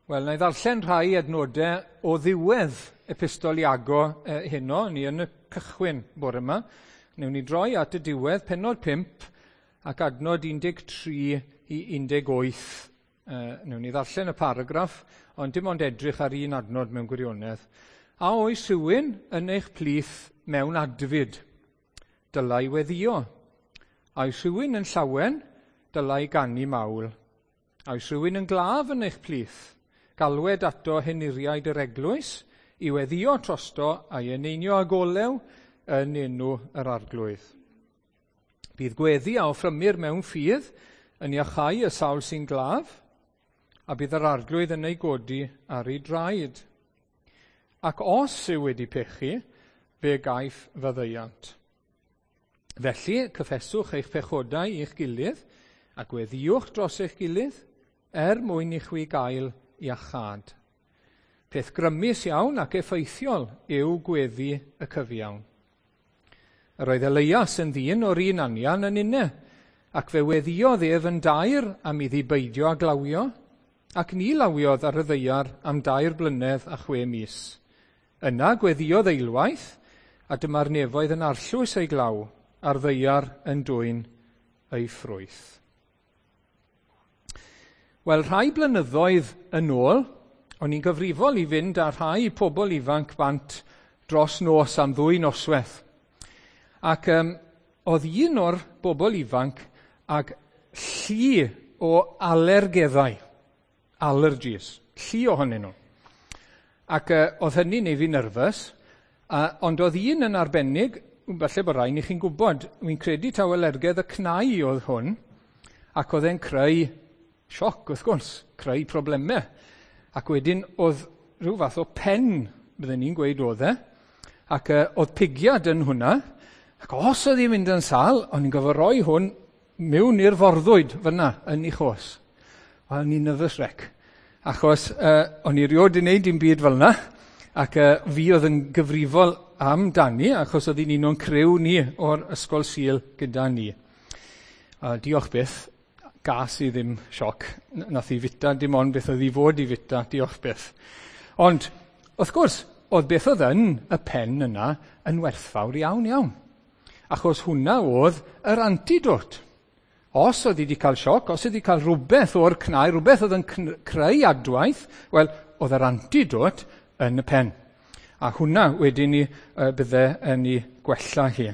Wel, na i ddarllen rhai adnodau o ddiwedd Epistol Iago heno, ni yn y cychwyn bore yma. Newn ni droi at y diwedd, pennod 5 ac adnod 13 i 18. Newn ni ddarllen y paragraff, ond dim ond edrych ar un adnod mewn gwirionedd. A oes rhywun yn eich plith mewn adfyd? Dylai weddio. A oes rhywun yn llawen? Dylai ganu mawl. A oes rhywun yn glaf yn eich plith? Galwed ato henuriaid yr eglwys i weddio trosto a'i eneinio ag olew yn enw yr arglwydd. Bydd gweddi a offrymir mewn ffydd yn iachau y sawl sy'n glaf, a bydd yr arglwydd yn ei godi ar ei draed. Ac os yw wedi pechu, fe gaiff faddeuant. Felly, cyffeswch eich pechodau i'ch gilydd, a gweddiwch dros eich gilydd, er mwyn i chwi gael iachâd. Peth grymus iawn ac effeithiol yw gweddi y cyfiawn. Yr oedd Elias yn ddyn o'r un anian yn unne, ac fe weddiodd ef yn daer am iddi beidio â glawio, ac ni lawiodd ar y ddaear am 3 blynedd a 6 mis. Yna gweddiodd eilwaith, a dyma'r nefoedd yn arllwys ei glaw, a'r ddaear yn dwyn ei ffrwyth. Wel, rhai blynyddoedd yn ôl, o'n i'n gyfrifol i fynd â rhai pobl ifanc bant dros nos am 2 noswaith. Ac oedd un o'r bobl ifanc ag llu o alergeddau, allergies, llu ohonyn nhw. Ac oedd hynny'n neud fi nervous, ond oedd un yn arbennig, falle bod rhaid i chi'n gwybod, wy'n credu taw alergedd y cnau oedd hwn, ac oedd e'n creu sioc, wrth gwrs, creu problemau. Ac wedyn oedd rhyw fath o pen, bydden ni'n gweud oedd e, ac oedd pigiad yn hwnna, ac os oedd hi'n mynd yn sâl, o'n i'n gorfod rhoi hwn mewn i'r forddwyd fyna yn ei chos. O'n i'n nervous wreck, achos o'n i rioed wedi gwneud dim byd fel yna, ac fi oedd yn gyfrifol amdani, achos oedd hi'n un o'n criw ni o'r ysgol Sul gyda ni. Diolch byth, gas i ddim sioc, nath i fita dim ond beth oedd i fod i fita, diolch byth. Ond, wrth gwrs, oedd beth oedd yn y pen yna yn werthfawr iawn iawn. Achos hwnna oedd yr antidote. Os oedd hi wedi cael sioc, os oedd hi wedi cael rhywbeth o'r cnau, rhywbeth oedd yn creu adwaith, wel, oedd yr antidote yn y pen. A hwnna wedyn ni bydde yn ei gwella hi.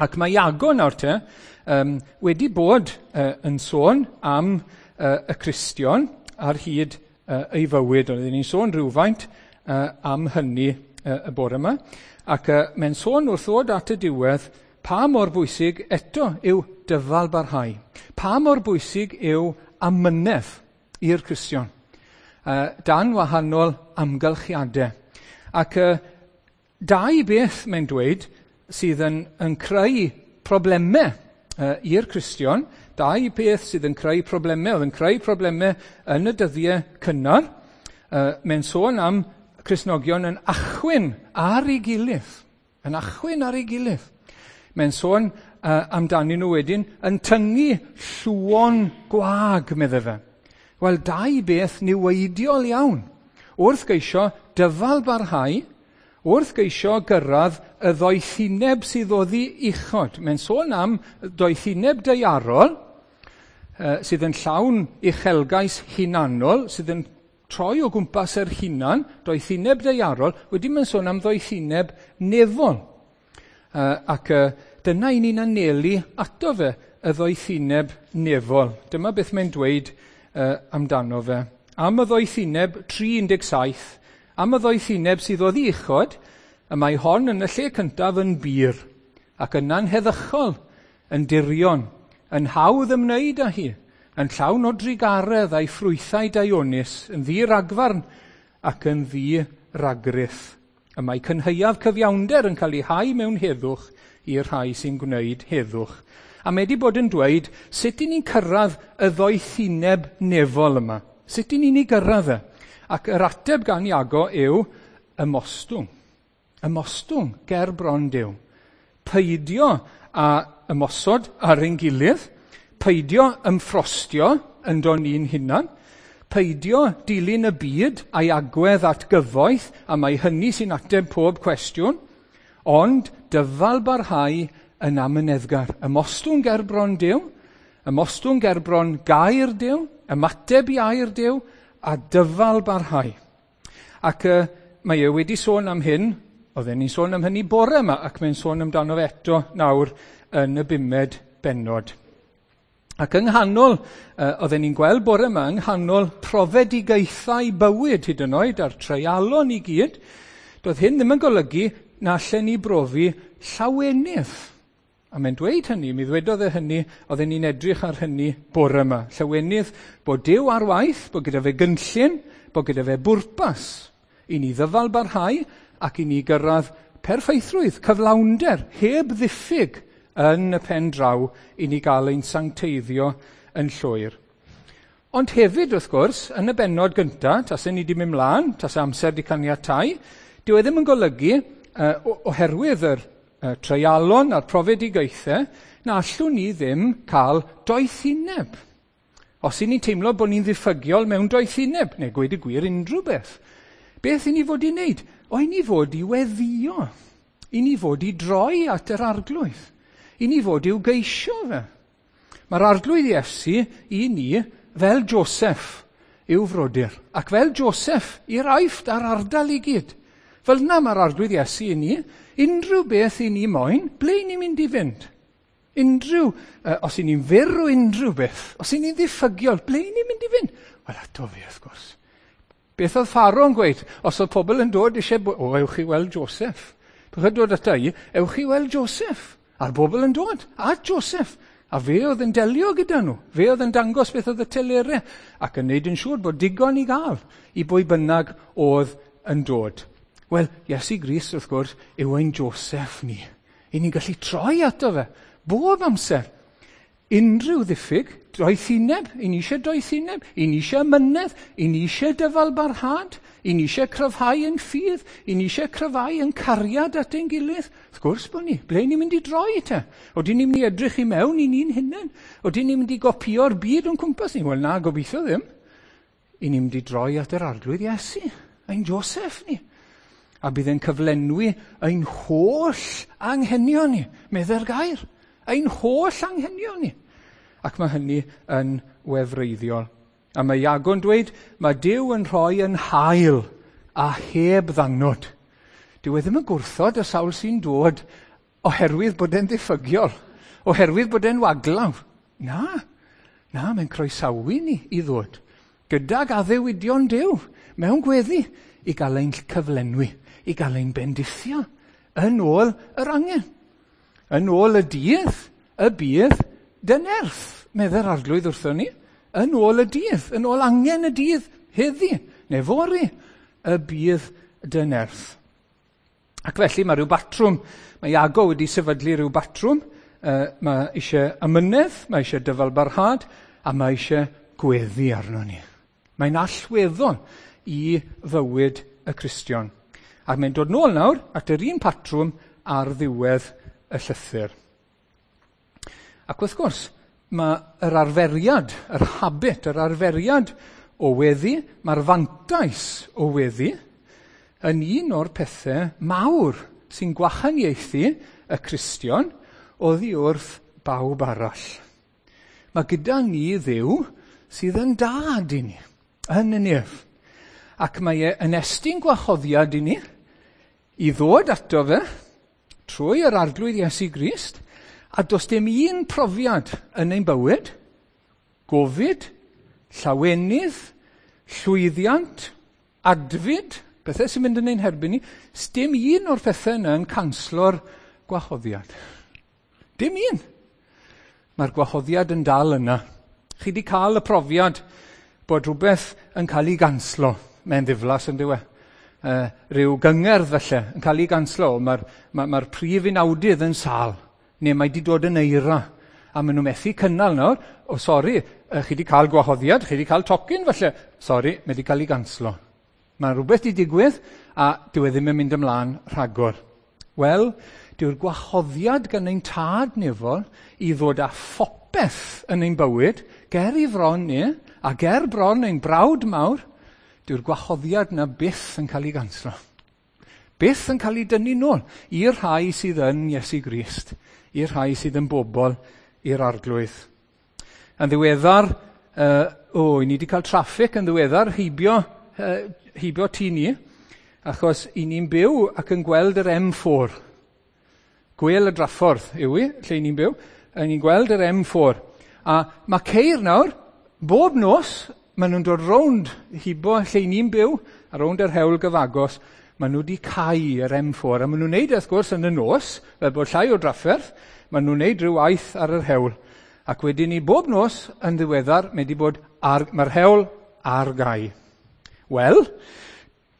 Ac mae Iago nawr te wedi bod yn sôn am y Cristion ar hyd ei fywyd. Oedden ni'n sôn rhywfaint am hynny y bore yma. Ac mae'n sôn wrth ddod at y diwedd pa mor bwysig eto yw dyfal barhau. Pa mor bwysig yw amynedd i'r Cristion dan wahanol amgylchiadau. Ac dau beth mae'n dweud sydd yn creu problemau i'r Cristion, dau beth sydd yn creu problemau, oedd yn creu problemau yn y dyddiau cynnar. Mae'n sôn am Cristnogion yn achwyn ar ei gilydd, yn achwyn ar ei gilydd. Mae'n sôn amdanyn nhw wedyn yn tyngu llwon gwag, medde fe. Wel, dau beth niweidiol iawn. Wrth geisio dyfal barhau, wrth geisio gyrraedd y ddoethineb sydd oddi uchod. Mae'n sôn am doethineb daearol sydd yn llawn uchelgais hunanol, sydd yn troi o gwmpas yr hunan, doethineb daearol, wedyn mae'n sôn am ddoethineb nefol. Ac dyna i ni'n anelu ato fe, y ddoethineb nefol. Dyma beth mae'n dweud amdano fe. Am y ddoethineb 3:17, am y ddoethineb sydd oddi uchod, y mae hon yn y lle cyntaf yn bur, ac yna'n heddychol, yn dirion, yn hawdd ymwneud â hi, yn llawn o drugaredd a'i ffrwythau daionus, yn ddi-ragfarn ac yn ddi-ragrith. Y mae cynhaeaf cyfiawnder yn cael ei hau mewn heddwch i'r rhai sy'n gwneud heddwch. A mae wedi bod yn dweud sut i ni'n cyrraedd y ddoethineb nefol yma. Sut i ni'n ei gyrraedd e? Ac yr ateb gan Iago yw ymostwng. Ymostwng ger bron Duw. Peidio a ymosod ar ein gilydd, peidio ymffrostio ynddo ni'n hunan, Peidio dilyn y byd a'i agwedd at gyfoeth, a mae hynny sy'n ateb pob cwestiwn, ond dyfal barhau yn amyneddgar. Ymostwng gerbron Duw, ymostwng gerbron gair Duw, ymateb i air Duw, a dyfal barhau. Ac mae e wedi sôn am hyn, oedden ni'n sôn am hynny bore yma, ac mae'n sôn amdano fe eto nawr yn y bumed bennod. Ac yng nghanol, oedden ni'n gweld bore yma, yng nghanol profedigaethau bywyd hyd yn oed a'r treialon i gyd, doedd hyn ddim yn golygu na allen ni brofi llawenydd. A mae'n dweud hynny, mi ddwedodd e hynny, oedden ni'n edrych ar hynny bore yma. Llawenydd bod Duw ar waith, bod gyda fe gynllun, bod gyda fe bwrpas i ni ddyfal barhau ac i ni gyrraedd perffeithrwydd, cyflawnder, heb ddiffyg yn y pen draw i ni gael ein sancteiddio yn llwyr. Ond hefyd, wrth gwrs, yn y bennod gyntaf, tasau ni wedi mynd mlaen, tasau amser wedi caniatáu, dyw e ddim yn golygu, oherwydd yr treialon a'r profedigaethau, na allwn ni ddim cael doethineb. Os 'y ni'n teimlo bod ni'n ddiffygiol mewn doethineb, neu gweud y gwir unrhyw beth, beth i ni fod i wneud? O, i ni fod i weddïo, i ni fod i droi at yr Arglwydd, i ni fod i'w geisio fe. Mae'r Arglwydd Iesu i ni fel Joseph i'w frodyr, ac fel Joseph i'r Aifft a'r ardal i gyd. Fel yna mae'r Arglwydd Iesu i ni, unrhyw beth i ni moyn, ble i ni'n mynd i fynd? Unrhyw, os i ni'n fyr o unrhyw beth, os i ni'n ddiffygiol, ble i ni'n mynd i fynd? Wel, ato fe, wrth gwrs. Beth oedd Pharaoh yn gweud? Os oedd pobl yn dod eisiau, o, ewch i weld Joseph. Beth oedd dod ata i, ewch i weld Joseph. A'r bobl yn dod at Joseph. A fe oedd yn delio gyda nhw. Fe oedd yn dangos beth oedd y telerau ac yn neud yn siŵr bod digon i gael i bwy bynnag oedd yn dod. Wel, Iesu Grist, wrth gwrs, yw ein Joseph ni. I ni'n gallu troi ato fe, bob amser. Unrhyw ddiffyg, doethineb, i ni eisiau doethineb, i ni eisiau mynedd, i ni eisiau dyfal barhad, i ni eisiau cryfhau yn ffydd, i ni eisiau cryfhau yn cariad at ein gilydd. Wrth gwrs bod ni, ble ni'n mynd i droi te? Odyn ni'n mynd i edrych i mewn i ni'n hunain? Odyn ni'n mynd i gopio'r byd o'n cwmpas ni? Wel na, gobeithio ddim. I ni'n mynd i droi at yr Arglwydd Iesu, ein Joseph ni. A bydd e'n cyflenwi ein holl anghenion ni, medde'r gair. Ein holl anghenion ni. Ac mae hynny yn wefreiddiol. A mae Iago'n dweud, mae Duw yn rhoi yn hael a heb ddannod. Dyw e ddim yn gwrthod y sawl sy'n dod oherwydd bod e'n ddiffygiol, oherwydd bod e'n waglaw. Na, na, mae'n croesawu ni i ddod. Gydag addewidion Duw mewn gweddi i gael ein cyflenwi, i gael ein bendithio yn ôl yr angen. Yn ôl y dydd, y bydd dy nerth, medde'r Arglwydd wrthon ni. Yn ôl y dydd, yn ôl angen y dydd, heddi, neu fory, y bydd dy nerth. Ac felly mae rhyw batrwm, mae Iago wedi sefydlu rhyw batrwm, mae eisiau amynedd, mae eisiau dyfalbarhad, a mae eisiau gweddi arno ni. Mae'n allweddol i fywyd y Cristion. Ac mae'n dod nôl nawr at yr un patrwm ar ddiwedd y llythyr. Ac wrth gwrs, mae yr arferiad, yr habit, yr arferiad o weddi, mae'r fantais o weddi, yn un o'r pethau mawr sy'n gwahaniaethu y Cristion oddi wrth bawb arall. Mae gyda ni Dduw sydd yn dad i ni, yn y nef. Ac mae e yn estyn gwahoddiad i ni i ddod ato fe trwy yr Arglwydd Iesu Grist, a does dim un profiad yn ein bywyd, gofid, llawenydd, llwyddiant, adfyd, pethau sy'n mynd yn ein herbyn ni, dim un o'r pethau yna yn canslo'r gwahoddiad. Dim un. Mae'r gwahoddiad yn dal yna. Chi wedi cael y profiad bod rhywbeth yn cael ei ganslo. Mae'n ddiflas yn dyw e. Rhyw gyngerdd felly yn cael ei ganslo. Mae'r prif unawdydd yn sâl, neu mae wedi dod yn eira, a maen nhw methu cynnal nawr. O, sori, chi wedi cael gwahoddiad, chi wedi cael tocyn felly. Sori, mae wedi cael ei ganslo. Mae rhywbeth wedi digwydd, a dyw e ddim yn mynd ymlaen rhagor. Wel, dyw'r gwahoddiad gan ein tad nefol i ddod â phopeth yn ein bywyd, ger i fron ni, A ger bron ein brawd mawr, dyw'r gwahoddiad na byth yn cael ei ganslo. Byth yn cael ei dynnu nôl i'r rhai sydd yn Iesu Grist, i'r rhai sydd yn bobl i'r Arglwydd. Yn ddiweddar, i ni wedi cael traffig yn ddiweddar heibio tŷ ni, achos i ni'n byw ac yn gweld yr M4. Gwel y draffordd yw i, lle ni'n byw, a ni'n gweld yr M4. A mae ceir nawr, bob nos, maen nhw'n dod rownd hibo lle ni'n byw, a rownd yr hewl gyfagos, maen nhw wedi cau yr M4. A maen nhw'n neud, wrth gwrs, yn y nos, fel bod llai o drafferth, maen nhw'n neud rhyw waith ar yr hewl. Ac wedyn ni bob nos yn ddiweddar, mae wedi bod mae'r hewl ar gau. Wel,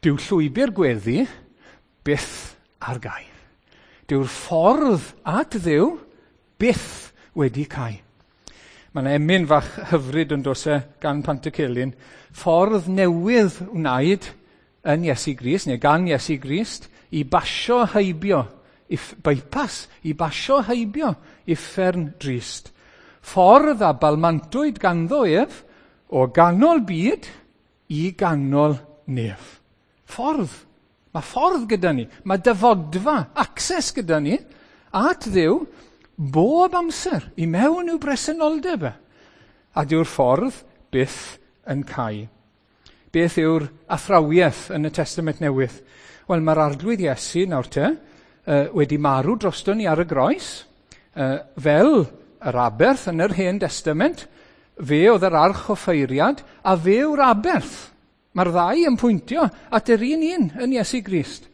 dyw llwybr gweddi byth ar gau. Dyw'r ffordd at Dduw byth wedi cau. Mae yna emyn fach hyfryd yn dose gan Pantycelyn. Ffordd newydd wnaed yn Iesu Grist, neu gan Iesu Grist, i basio heibio, bypass, i basio heibio uffern drist. Ffordd a balmantwyd ganddo ef o ganol byd i ganol nef. Ffordd. Mae ffordd gyda ni. Mae dyfodfa, access gyda ni at Dduw bob amser i mewn i'w bresenoldeb e. A dyw'r ffordd byth yn cau. Beth yw'r athrawiaeth yn y Testament Newydd? Wel, mae'r Arglwydd Iesu nawr te wedi marw drosto ni ar y groes, fel yr aberth yn yr Hen Testament, fe oedd yr archoffeiriad a fe yw'r aberth. Mae'r ddau yn pwyntio at yr un un yn Iesu Grist.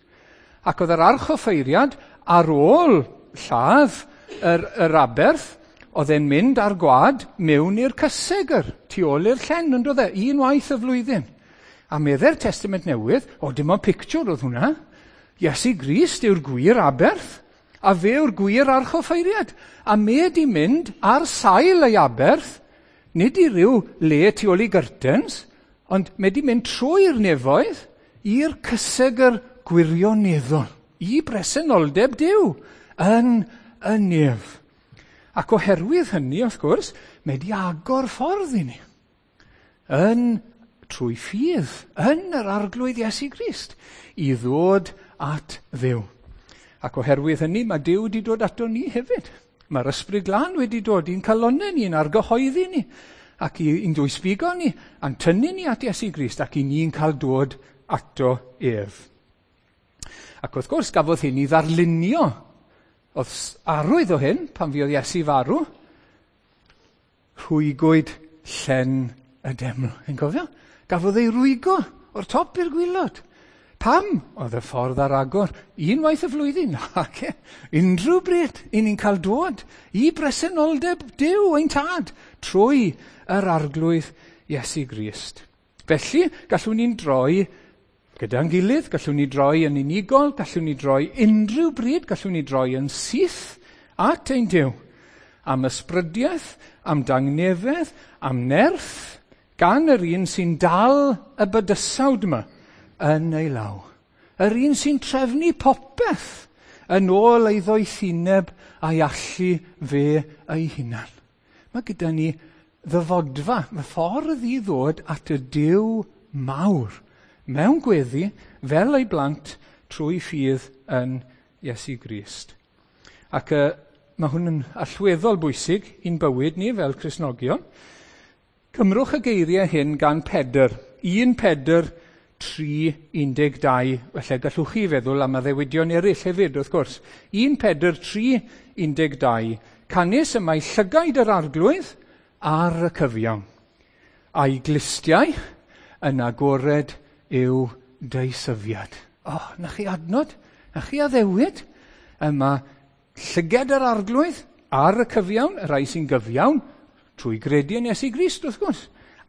Ac oedd yr archoffeiriad ar ôl lladd yr aberth, oedd e'n mynd ar gwad mewn i'r cysegr, tu ôl i'r llen, yn doedd e, unwaith y flwyddyn. A medde'r Testament Newydd, o dim ond pictiwr oedd hwnna, Iesu Grist yw'r gwir aberth, a fe yw'r gwir archoffeiriad. A me di mynd ar sail ei aberth, nid i ryw le tu ôl i gyrtens, ond me di mynd trwy'r nefoedd i'r cysegr gwirioneddol, i bresenoldeb Duw yn y nef. Ac oherwydd hynny, wrth gwrs, mae di agor ffordd i ni. Yn trwy ffydd, yn yr Arglwydd Iesu Grist, i ddod at Dduw. Ac oherwydd hynny, mae Duw wedi dod ato ni hefyd. Mae'r Ysbryd Glân wedi dod i'n calonnau ni, i'n argyhoeddi ni, ac i'n dwysbigo ni, a'n tynnu ni at Iesu Grist, ac i ni'n cael dod ato ef. Ac wrth gwrs, gafodd hyn i ddarlunio. Oedd arwydd o hyn, pan fuodd Iesu farw, rhwygwyd llen y deml. Yn cofio? Gafodd ei rwygo o'r top i'r gwilod. Pam? Oedd y ffordd ar agor. Unwaith y flwyddyn. Ac unrhyw bryd, i ni'n cael dod i bresenoldeb Duw ein tad trwy yr Arglwydd Iesu Grist. Felly, gallwn ni'n droi gyda'n gilydd, gallwn ni droi yn unigol, gallwn ni droi unrhyw bryd, gallwn ni droi yn syth at ein Duw. Am ysbrydiaeth, am dangnefedd, am nerth, gan yr un sy'n dal y bydysawd yma yn ei law. Yr un sy'n trefnu popeth yn ôl ei ddoethineb a'i allu fe ei hunan. Mae gyda ni ddyfodfa, mae ffordd i ddod at y Duw mawr mewn gweddi fel ei blant trwy ffydd yn Iesu Grist. Ac mae hwn yn allweddol bwysig i'n bywyd ni fel Cristnogion. Cymrwch y geiriau hyn gan Pedr. 1 Pedr 3:12. Felly gallwch chi feddwl am addewidion eraill hefyd, wrth gwrs. 1 Pedr 3:12. Canys y mae llygaid yr Arglwydd ar y cyfiawn, a'i glustiau yn agored yw deisyfiad. O, na chi adnod, na chi addewid. Yma llyged yr Arglwydd ar y cyfiawn, y rhai sy'n gyfiawn, trwy gredu yn Iesu Grist, wrth gwrs,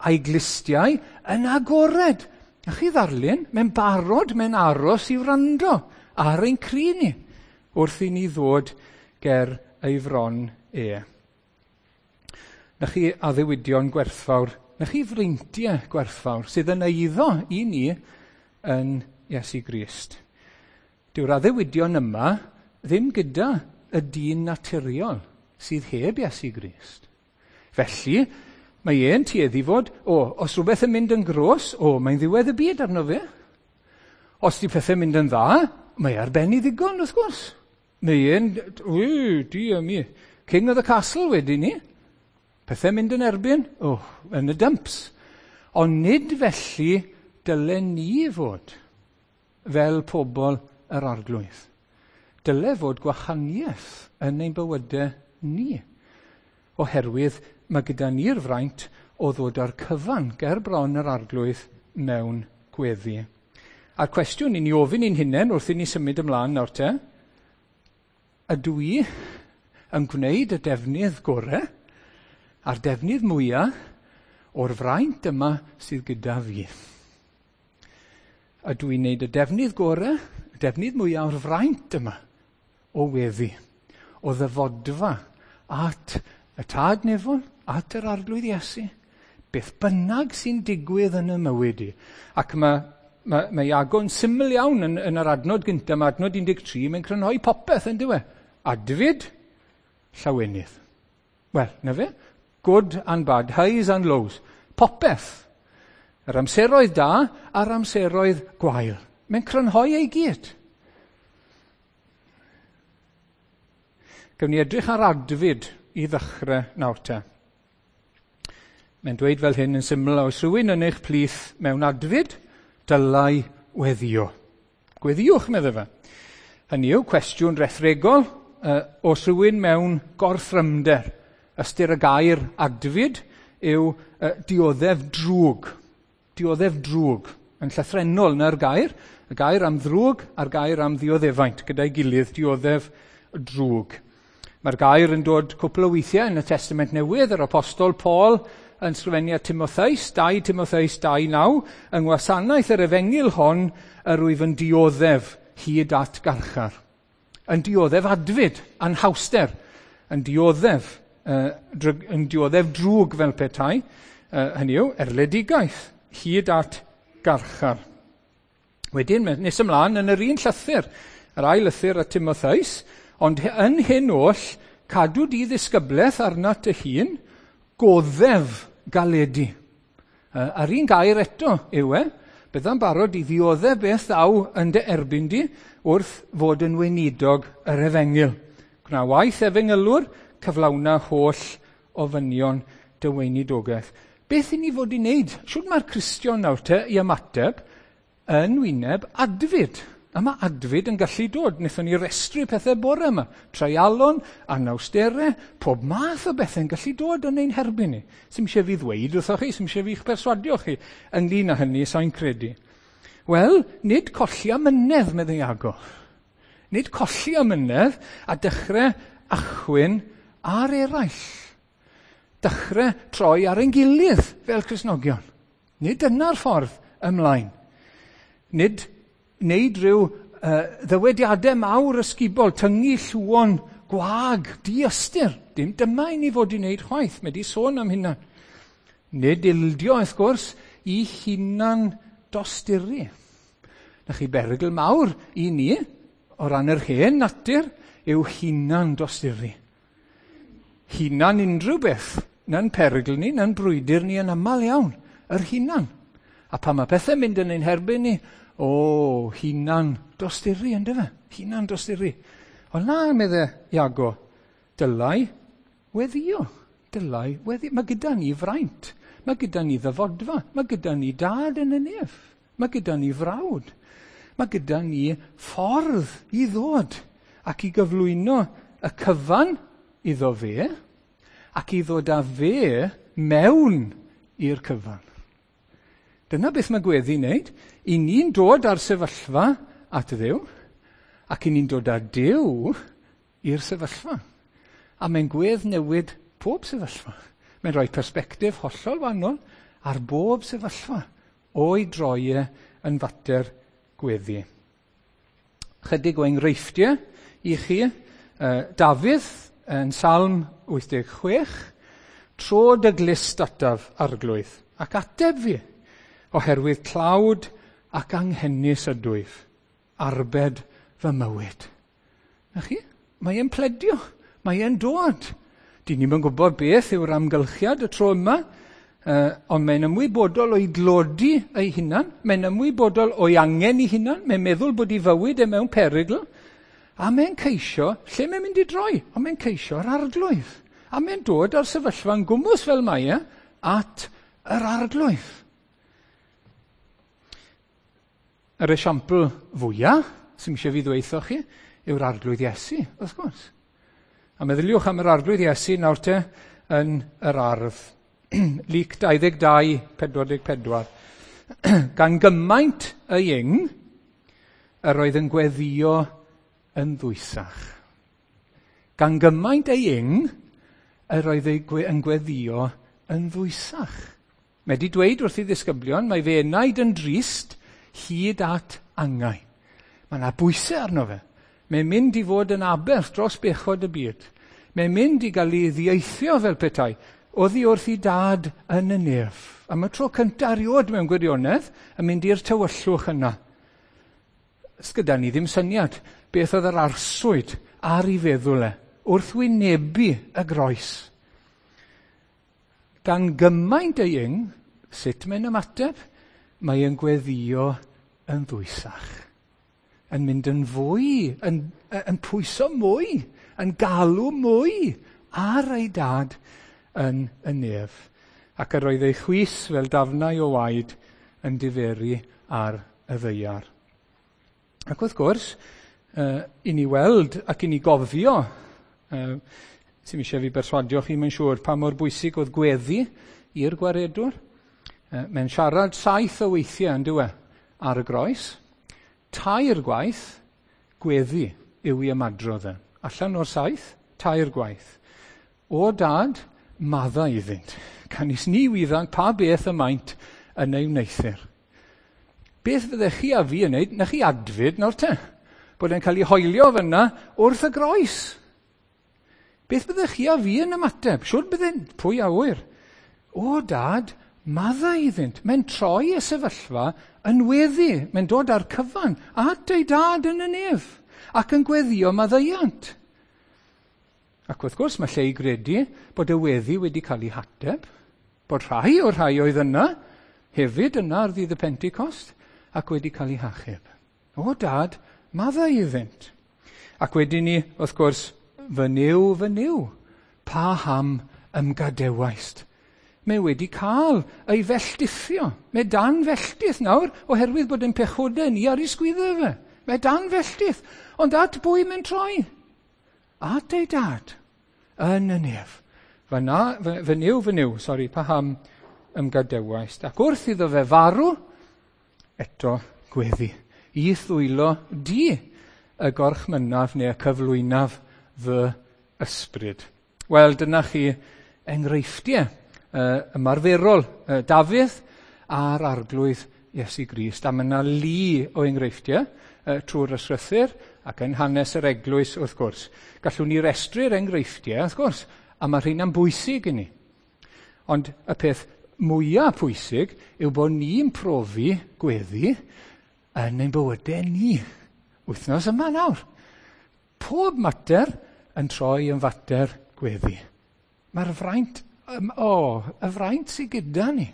a'i glustiau yn agored. Na chi ddarlun, mae'n barod, mae'n aros i wrando ar ein cri ni, wrth i ni ddod ger ei fron e. Na chi addewidion gwerthfawr, na chi freintiau gwerthfawr sydd yn eiddo i ni yn Iesu Grist. Dyw'r addewidion yma ddim gyda y dyn naturiol sydd heb Iesu Grist. Felly, Mae e'n tueddu fod, os rhywbeth yn mynd yn gros, mae'n ddiwedd y byd arno fe. Os di pethau'n mynd yn dda, mae ar ben i ddigon, wrth gwrs. Mae e'n, dear me, king of the castle wedyn ni. Pethau'n mynd yn erbyn, yn y dumps. Ond nid felly dylen ni fod fel pobl yr Arglwydd. Dyle fod gwahaniaeth yn ein bywydau ni. Oherwydd mae gyda ni'r fraint o ddod â'r cyfan ger bron yr Arglwydd mewn gweddi. A'r cwestiwn i ni ofyn i'n hunain wrth i ni symud ymlaen nawr te, ydw i yn gwneud y defnydd gorau a'r defnydd mwyaf o'r fraint yma sydd gyda fi? Ydw i'n gwneud y defnydd gorau, y defnydd mwyaf o'r fraint yma o weddi, o ddyfodfa at y Tad Nefol, at yr Arglwydd Iesu, beth bynnag sy'n digwydd yn y mywyd i. Ac mae Iago'n syml iawn yn yr adnod gyntaf, mae adnod 13, mae'n crynhoi popeth yn dyw e. Adfyd, llawenydd. Wel, na fe? Good and bad, highs and lows. Popeth. Yr amseroedd da a'r amseroedd gwael. Mae'n crynhoi ei gyd. Gawn ni edrych ar adfyd i ddechrau nawr te. Mae'n dweud fel hyn yn syml, oes rhywun yn eich plith mewn adfyd, dylai weddio. Gweddiwch, meddai fe. Hynny yw, cwestiwn rethregol, oes rhywun mewn gorthrymder. Ystyr y gair adfyd yw dioddef drwg. Dioddef drwg. Yn llythrennol na'r gair. Y gair am ddrwg a'r gair am ddioddefaint. Gyda'i gilydd, dioddef drwg. Mae'r gair yn dod cwpl o weithiau yn y Testament Newydd, yr Apostol Paul yn sgrifennu at Timotheus, 2 Timotheus 2:9, yng ngwasanaeth yr efengyl hon, yr wyf yn dioddef hyd at garchar. Yn dioddef adfyd, anhawster, yn dioddef drwg fel petai, hynny yw, erledigaeth, hyd at garchar. Wedyn, nes ymlaen yn yr un llythyr, yr ail lythyr at Timotheus, ond yn hyn oll, cadw di ddisgyblaeth arnat dy hun, goddef galedu. A'r un gair eto yw e, bydda'n barod i ddioddef beth ddaw yn dy erbyn di wrth fod yn weinidog yr efengyl. Gwna waith efengylwr, cyflawna holl ofynion dy weinidogaeth. Beth i ni fod i wneud? Shwd mae'r Cristion nawr te i ymateb yn wyneb adfyd? A mae adfyd yn gallu dod. Wnaethon ni restru pethau bore yma. Treialon, anawsterau, pob math o bethau'n gallu dod yn ein herbyn ni. Sim eisiau fi ddweud wrthoch chi, sim eisiau fi'ch perswadio chi ynglyn â hynny, sa'n credu. Wel, nid colli amynedd, meddai Iago. Nid colli amynedd a dechrau achwyn ar eraill. Dechrau troi ar ein gilydd fel Cristnogion. Nid dyna'r ffordd ymlaen. Nid wneud rhyw ddywediadau mawr ysgubol, tyngu llwon gwag, diystyr. Dim dyma i ni fod i wneud chwaith, mae di sôn am hynna. Nid ildio, wrth gwrs, i hunan dosturi. Na chi berygl mawr i ni, o ran yr hen natur, yw hunan dosturi. Hunan unrhyw beth, na'n perygl ni, na'n brwydr ni yn aml iawn, yr hunan. A pan mae pethau'n mynd yn ein herbyn ni, hunan dosturi, yndyfe? Hunan dosturi. Ond na, medde Iago, dylai weddio. Dylai weddio. Mae gyda ni fraint. Mae gyda ni ddyfodfa. Mae gyda ni dad yn y nef. Mae gyda ni frawd. Mae gyda ni ffordd i ddod ac i gyflwyno y cyfan iddo fe ac i ddod â fe mewn i'r cyfan. Dyna beth mae gweddi'n wneud. I ni'n dod â'r sefyllfa at Dduw, ac i ni'n dod â Duw i'r sefyllfa. A mae'n gwedd newid pob sefyllfa. Mae'n rhoi persbectif hollol wahanol ar bob sefyllfa o'i droi e yn fater gweddi. Chydig o enghreifftiau i chi. Dafydd yn Salm 86, tro dy glust ataf Arglwydd, ac ateb fi, oherwydd tlawd ac anghenus ydwyf, arbed fy mywyd. Na chi? Mae e'n pledio, mae e'n dod. Dyn ni'm yn gwybod beth yw'r amgylchiad y tro yma, Ond mae'n ymwybodol o'i glodi ei hunan, mae'n ymwybodol o'i angen ei hunan, mae'n meddwl bod ei fywyd e mewn perygl, a mae'n ceisio, lle mae'n mynd i droi? Ond mae'n ceisio'r Arglwydd. A mae'n dod ar sefyllfa'n gwmws fel mae e, at yr Arglwydd. Yr esiampl fwyaf, sy'n eisiau fi ddweutho chi, yw'r Arglwydd Iesu, wrth gwrs. A meddyliwch am yr Arglwydd Iesu nawr te yn yr ardd. Luc 22, 44. Gan gymaint y ing, yr oedd yn gweddio yn ddwysach. Gan gymaint ei ing, yr oedd yn gweddio yn ddwysach. Mae wedi dweud wrth ei ddisgyblion, mae fe enaid yn drist hyd at angau. Mae yna bwysau arno fe. Mae'n mynd i fod yn aberth dros bechod y byd. Mae'n mynd i gael ei ddieithio fel petai, oddi wrth ei dad yn y nef. Am y tro cyntaf erioed mewn gwirionedd, yn mynd i'r tywyllwch yna. Sgyda ni ddim syniad beth oedd yr arswyd ar ei feddwl e, wrth wynebu y groes. Gan gymaint ei ing, sut mae'n ymateb? Mae yn gweddio yn ddwysach. Yn mynd yn fwy, yn pwyso mwy, yn galw mwy ar ei dad yn y nef. Ac yr oedd ei chwys fel dafnau o waed yn diferu ar y ddaear. Ac wrth gwrs, i ni weld ac i ni gofio, sy'n eisiau fi berswadio chi, mae'n siŵr, pa mor bwysig oedd gweddi i'r gwaredwr. Mae'n siarad 7 o weithiau yn dyw e, ar y groes. 3 gwaith, gweddi yw i ymadrodd e. Allan o'r 7, 3 gwaith. O dad, maddau iddynt. Canys ni wyddant pa beth y maent yn ei wneuthur. Beth fyddech chi a fi yn wneud? Na chi adfyd nawr te. Bod e'n cael ei hoelio fyna wrth y groes. Beth byddech chi a fi yn ymateb? Siwr bydden, pwy a ŵyr? O dad, maddau iddynt. Mae'n troi y sefyllfa yn weddi. Mae'n dod â'r cyfan at ei dad yn y nef ac yn gweddio maddeuant. Ac wrth gwrs mae lle i gredu bod y weddi wedi cael ei hateb, bod rhai o'r rhai oedd yna hefyd yna ar ddydd y Pentecost ac wedi cael ei hachub. O dad, maddau iddynt. Ac wedyn ni, wrth gwrs, fy Nuw, paham ymgadewaist? Mae wedi cael ei felltithio. Mae dan felltith nawr oherwydd bod ein pechodau ni ar ei sgwyddau fe. Mae dan felltith. Ond at bwy mae'n troi? At ei dad yn y nef. Fy Nuw, paham ymgadewaist? Ac wrth iddo fe farw, eto gweddi. I'th ddwylo di y gorchmynnaf neu y cyflwynaf fy ysbryd. Wel, dyna chi enghreifftiau ymarferol Dafydd a'r Arglwydd Iesu Grist. A mae yna lu o enghreifftiau trwy'r ysgrythur ac yn hanes yr eglwys, wrth gwrs. Gallwn ni restru'r enghreifftiau, wrth gwrs, a mae rheina'n bwysig i ni. Ond y peth mwyaf pwysig yw bod ni'n profi gweddi yn ein bywydau ni. Wythnos yma nawr. Pob mater yn troi yn fater gweddi. Mae'r fraint, y fraint sydd gyda ni.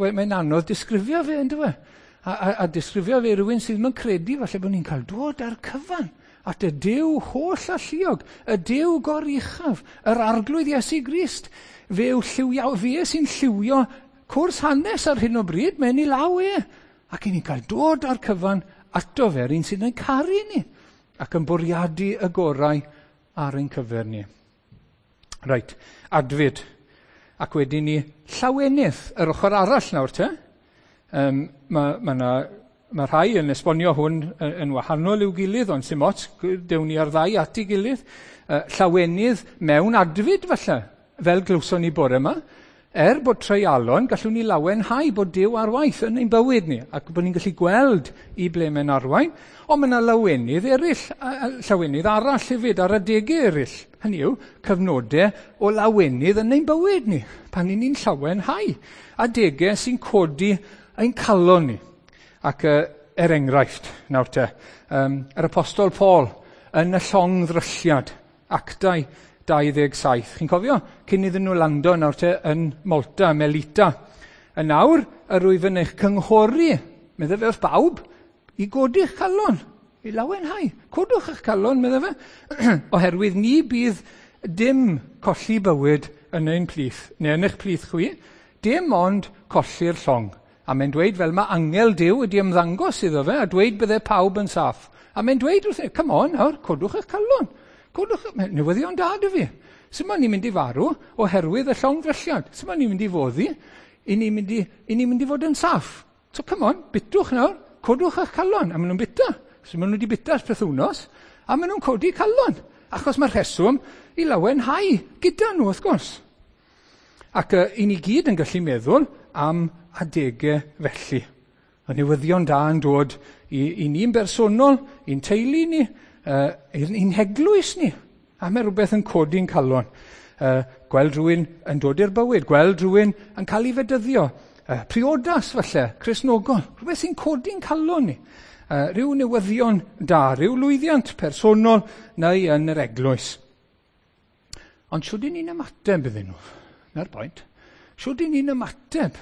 Mae'n anodd disgrifio fe, yndyw e? A disgrifio fe rhywun sydd ddim yn credu falle bod ni'n cael dod ar cyfan at y Duw holl alluog, y Duw goruchaf, yr Arglwydd Iesu Grist. Fe yw lliwio, fe sy'n lliwio cwrs hanes ar hyn o bryd, mae'n ei law e. Ac i ni'n cael dod ar cyfan ato fe, yr un sydd yn caru ni, ac yn bwriadu y gorau ar ein cyfer ni. Reit, adfyd. Ac wedyn ni llawenydd, yr ochr arall nawr te. Mae rhai yn esbonio hwn yn wahanol i'w gilydd, ond sy'm ots, dewn ni ar ddau at ei gilydd. Llawenydd mewn adfyd falle, fel glywson ni bore yma. Er bod treialon, gallwn ni lawenhau bod Duw ar waith yn ein bywyd ni, ac bod ni'n gallu gweld i ble mae'n arwain, ond mae yna lawenydd eraill, llawenydd arall hefyd, ar adegau eraill. Hynny yw, cyfnodau o lawenydd yn ein bywyd ni, pan ni'n llawenhau. Adegau sy'n codi ein calon ni. Ac er enghraifft, nawr te, yr Apostol Paul yn y llongddrylliad, Actau 27. Chi'n cofio? Cyn iddyn nhw lando nawr te yn Malta, Melita. Yn nawr, yr wyf yn eich cynghori, medde fe wrth bawb, i godi'ch calon, i lawenhau. Codwch eich calon, medde fe, oherwydd ni bydd dim colli bywyd yn ein plith, neu yn eich plith chwi, dim ond colli'r llong. A mae'n dweud fel mae angel Duw wedi ymddangos iddo fe, a dweud bydde pawb yn saff. A mae'n dweud wrth come on nawr, codwch eich calon. Codwch, newyddion da dy fi. Sut mae ni'n mynd i farw oherwydd y llongddrylliad? Sut mae ni'n mynd i foddi? I ni'n mynd i, i ni mynd i fod yn saff. So come on, bitwch nawr, codwch eich calon. A maen nhw'n bita. So maen nhw wedi bita ers pythwnos, a maen nhw'n codi calon. Achos mae'r rheswm i lawenhau gyda nhw, wrth gwrs. Ac i ni gyd yn gallu meddwl am adegau felly. Y newyddion da yn dod i ni'n bersonol, i'n teulu ni, i'n heglwys ni. A mae rhywbeth yn codi'n calon. Gweld rhywun yn dod i'r bywyd, gweld rhywun yn cael ei fedyddio. Priodas falle, Cristnogol, rhywbeth sy'n codi'n calon ni. Rhyw newyddion da, rhyw lwyddiant personol neu yn yr eglwys. Ond shwd 'yn ni'n ymateb iddyn nhw? 'Na'r pwynt. Shwd 'yn ni'n ymateb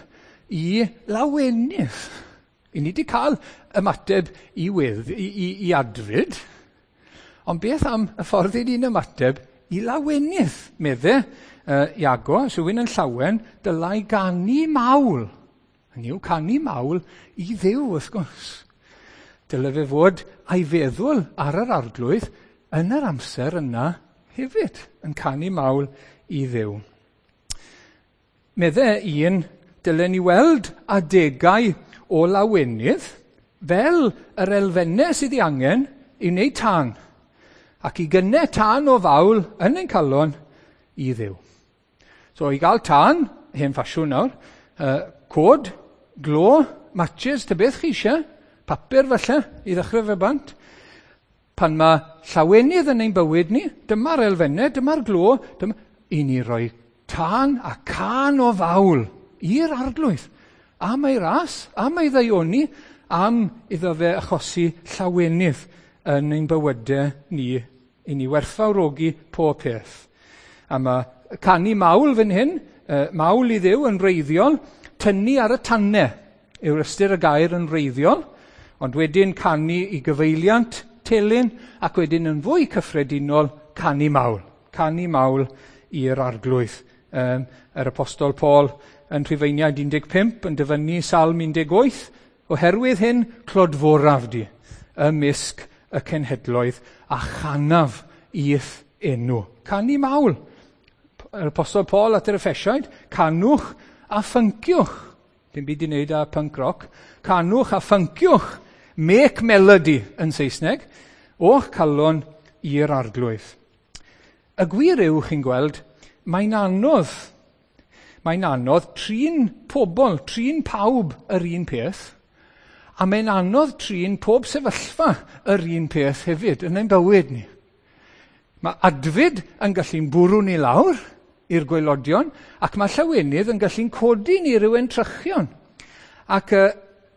i lawenydd? I ni wedi cael ymateb i wedd, i adfyd, ond beth am y ffordd i ni'n ymateb i lawenydd? Medde Iago, os yw'n yn llawen, dylai ganu mawl. Hynny yw, canu mawl i Dduw, wrth gwrs. Dyle fe fod a'i feddwl ar yr arglwydd yn yr amser yna hefyd, yn canu mawl i Dduw. Medde un, dylen ni weld adegau o lawenydd fel yr elfennau sydd ei angen i wneud tân, ac i gynnau tân o fawl yn ein calon i Dduw. So i gael tân, hen ffasiwn nawr, cod, glo, matches, ta beth chi eisiau, papur falle, i ddechrau fe bant. Pan mae llawenydd yn ein bywyd ni, dyma'r elfennau, dyma'r glo, dyma, i ni roi tân a cân o fawl i'r arglwydd. Am ei ras, am ei ddaioni, am iddo fe achosi llawenydd yn ein bywydau ni, i ni werthfawrogi pob peth. A mae canu mawl fan hyn, mawl i Dduw yn wreiddiol, tynnu ar y tanne yw'r ystyr y gair yn wreiddiol, ond wedyn canu i gyfeiliant telyn, ac wedyn yn fwy cyffredinol canu mawl. Canu mawl i'r arglwydd. Yr Apostol Paul yn Rhufeiniaid 15 yn dyfynnu Salm 18, oherwydd hyn clodforaf di ymysg y cenhedloedd a chanaf i'th enw. Canu mawl. Yr Apostol Paul at yr Effesiaid, canwch a ffynciwch. Dim byd i wneud â punk rock. Canwch a ffynciwch. Make melody yn Saesneg. O'ch calon i'r arglwydd. Y gwir yw, chi'n gweld, mae'n anodd. Mae'n anodd trin pobl, trin pawb yr un peth, a mae'n anodd trin pob sefyllfa yr un peth hefyd yn ein bywyd ni. Mae adfyd yn gallu'n bwrw ni lawr i'r gwaelodion, ac mae llawenydd yn gallu'n codi ni ryw entrychion. Ac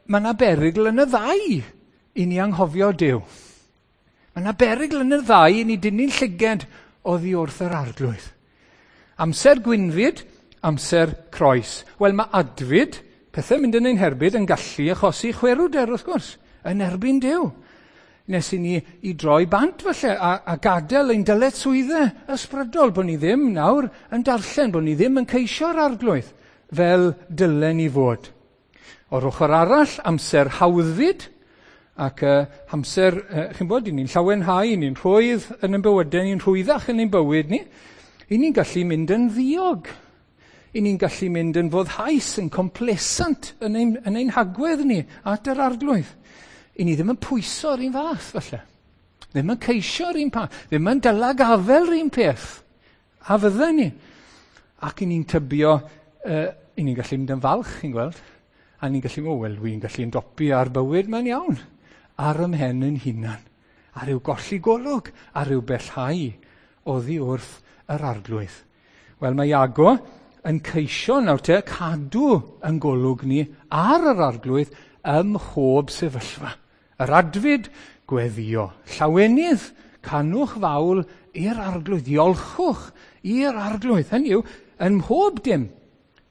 mae yna berygl yn y ddau i ni anghofio Duw. Mae yna berygl yn y ddau i ni dynnu'n llyged oddi wrth yr arglwydd. Amser gwynfyd, amser croes. Wel, mae adfyd, pethau mynd yn ein herbyd, yn gallu achosi chwerwder, wrth gwrs, yn erbyn Duw. Nes i ni i droi bant falle a gadael ein dyletswyddau ysbrydol, bod ni ddim nawr yn darllen, bod ni ddim yn ceisio'r arglwydd fel dylen ni fod. O'r ochr arall, amser hawddfyd, ac amser, chi'n bod, ni'n llawenhau, ni'n rhwydd yn ein bywydau, ni'n rhwyddach yn ein bywyd ni, i ni'n gallu mynd yn ddiog. I ni'n gallu mynd yn foddhaus, yn complacent yn ein hagwedd ni at yr arglwydd. I ni ddim yn pwyso'r un fath, falle. Ddim yn ceisio'r un peth, ddim yn dyla gafel yr un peth. A fydden ni. Ac i ni'n tybio, i ni'n gallu mynd yn falch, chi'n gweld. A ni'n gallu, o, wel, wi'n gallu ymdopi ar bywyd, mae'n iawn. Ar ymhen yn hunan. A rhyw golli golwg, a rhyw bellhau oddi wrth yr arglwydd. Wel, mae Iago yn ceisio nawr te cadw yn golwg ni ar yr arglwydd ym mhob sefyllfa. Yr adfyd, gweddio. Llawenydd, Canwch fawl i'r Arglwydd, diolchwch i'r Arglwydd. Hynny yw, yn mhob dim,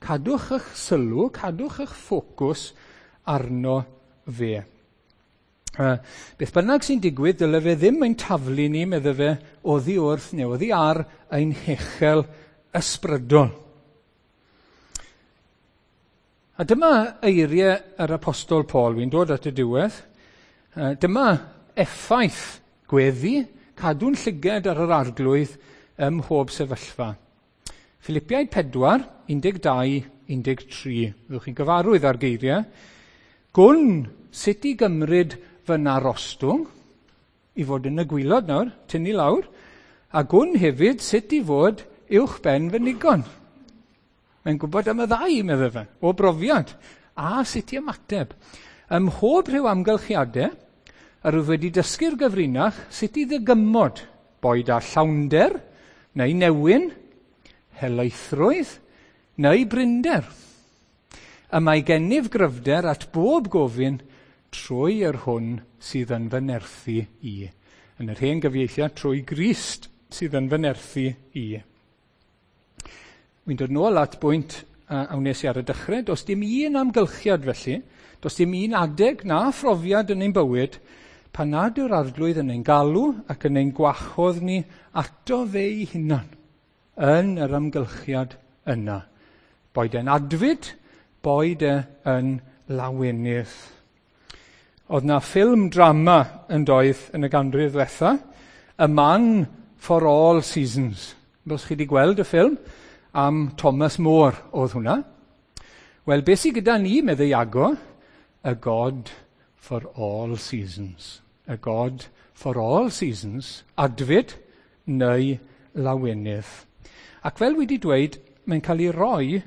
cadwch eich sylw, cadwch eich ffocws arno fe. Beth bynnag sy'n digwydd, dyle fe ddim ein taflu ni, medde fe, oddi wrth neu oddi ar ein hechel ysbrydol. A dyma eiriau yr Apostol Paul, fi'n dod at y diwedd. Dyma effaith gweddi, cadw'n llyged ar yr Arglwydd ym mhob sefyllfa. Philippiaid 4, 12, 13. Fyddwch chi'n gyfarwydd â'r geiriau. Gwn sut i gymryd fy narostwng, i fod yn y gwylod nawr, tynnu lawr, a gwn hefyd sut i fod uwch ben fy nigon. Mae'n gwybod am y ddau, meddai fe, o brofiad, a sut i ymateb. Ym mhob rhyw amgylchiadau, yr wyf wedi dysgu'r gyfrinach sut i ddygymod, boed â llawnder, neu newyn, helaethrwydd, neu brinder. Y mae gennyf gryfder at bob gofyn trwy yr hwn sydd yn fy nerthu i. Yn yr hen gyfieithiad, trwy Grist sydd yn fy nerthu i. Wy'n dod nôl at bwynt a wnes i ar y dechrau. Does dim un amgylchiad felly, does dim un adeg na phrofiad yn ein bywyd pan nad yw'r Arglwydd yn ein galw ac yn ein gwahodd ni ato fe'i hunan yn yr amgylchiad yna. Boed e'n adfyd, boed e yn lawenydd. Oedd na ffilm drama yn doedd yn y ganrif ddwetha, A Man for All Seasons. Os chi wedi gweld y ffilm, am Thomas More oedd hwnna. Wel, beth sydd gyda ni, meddai Iago? A God for all seasons. A God for all seasons, adfyd neu lawenydd. Ac fel wedi dweud, mae'n cael ei roi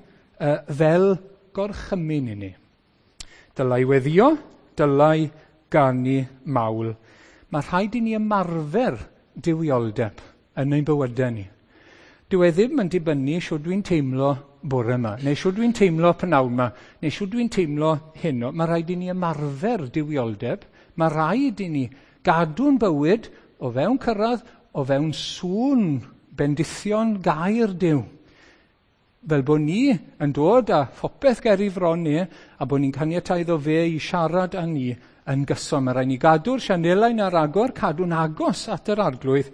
fel gorchymyn i ni. Dylai weddio, dylai ganu mawl. Mae rhaid i ni ymarfer duwioldeb yn ein bywydau ni. Dyw e ddim yn dibynnu shwd dwi'n teimlo bore yma, neu shwd dwi'n teimlo p'nawn yma, neu shwd dwi'n teimlo heno. Mae rhaid i ni ymarfer duwioldeb. Mae rhaid i ni gadw'n bywyd o fewn cyrraedd, o fewn sŵn bendithion gair Duw. Fel bod ni yn dod â phopeth ger i fron ni, a bod ni'n caniatáu iddo fe i siarad â ni yn gyson. Mae rhaid ni gadw'r sianelau'n ar agor, cadw'n agos at yr Arglwydd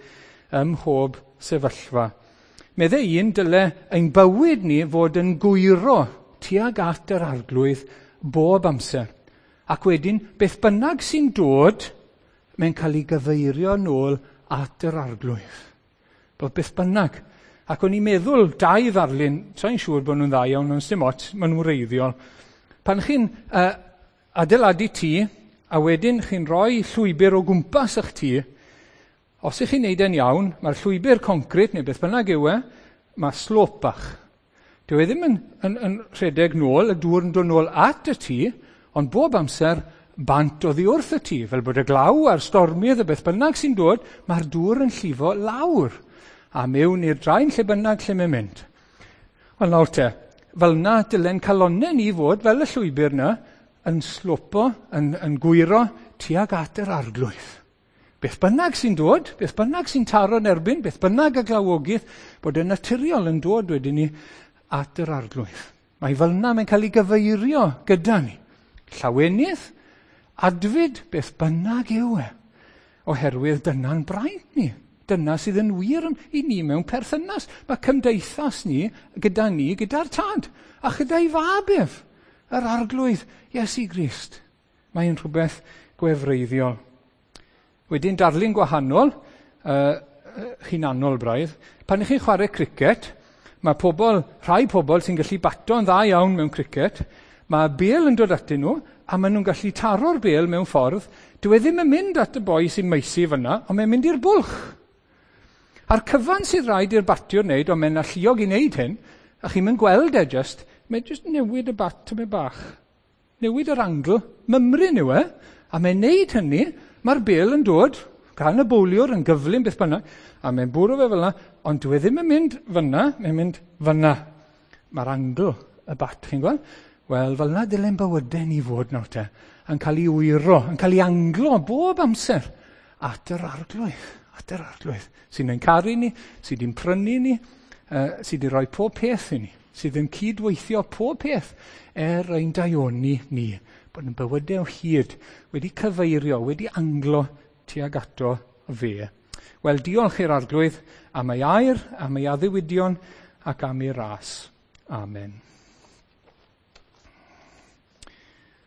ym mhob sefyllfa. Meddai un, dyle ein bywyd ni fod yn gwyro tuag at yr Arglwydd bob amser. Ac wedyn, beth bynnag sy'n dod, mae'n cael ei gyfeirio nôl at yr Arglwydd. Bod beth bynnag. Ac o'n i'n meddwl dau ddarlun, sa'n siŵr bod nhw'n dda iawn, ond dim ots, maen nhw'n wreiddiol. Pan chi'n adeiladu tŷ, a wedyn chi'n rhoi llwybr o gwmpas eich tŷ, os ych chi'n neud e'n iawn, mae'r llwybr concrit neu beth bynnag yw e, mae slop bach. Dyw e ddim yn rhedeg nôl, y dŵr yn dod nôl at y tŷ, ond bob amser bant oddi wrth y tŷ, fel bod y glaw a'r stormydd a beth bynnag sy'n dod, mae'r dŵr yn llifo lawr a mewn i'r draen lle bynnag lle mae'n mynd. Wel nawr te, fel na dylen calonnau ni fod, fel y llwybr na, yn slopo, yn gwyro tuag at yr Arglwydd. Beth bynnag sy'n dod, beth bynnag sy'n taro yn erbyn, beth bynnag y glawogydd, bod y naturiol yn dod wedyn ni at yr Arglwydd. Mae fel yna mae'n cael ei gyfeirio gyda ni. Llawenydd, adfyd, beth bynnag yw e. Oherwydd dyna'n braint ni. Dyna sydd yn wir i ni mewn perthynas. Mae cymdeithas ni gyda ni, gyda'r Tad, a chyda'i fab ef, yr Arglwydd Iesu Grist. Mae'n rhywbeth gwefreiddiol. Wedyn darlun gwahanol, hunanol braidd. Pan ych chi'n chwarae cricet, mae rhai pobl sy'n gallu bato'n dda iawn mewn cricet, mae bêl yn dod atyn nhw, a maen nhw'n gallu taro'r bêl mewn ffordd. Dyw e ddim yn mynd at y boi sy'n maesu fyna, ond mae'n mynd i'r bwlch. A'r cyfan sydd rhaid i'r batiwr wneud, ond mae'n alluog i wneud hyn, a chi'n mynd gweld e just, mae'n just newid y bat tymed bach. Newid yr angle, mymryn yw e, a mae'n wneud hynny, mae'r bêl yn dod gan y bowliwr yn gyflym beth bynnag, a mae'n bwrw fe fel yna, ond dyw e ddim yn mynd fyna, mae'n mynd fyna. Mae'r angle y bat, chi'n gweld? Wel, fel yna dylen bywydau ni fod nawr te, yn cael ei wyro, yn cael ei anglo bob amser at yr Arglwydd, At yr Arglwydd, sy'n ein caru ni, sydd wedi'n prynu ni, sydd wedi rhoi pob peth i ni, sydd yn cydweithio pob peth er ein daioni ni, bod yn bywydau o hyd wedi cyfeirio, wedi anglo tuag ato fe. Wel, diolch i'r Arglwydd am ei air, am ei addewidion ac am ei ras. Amen.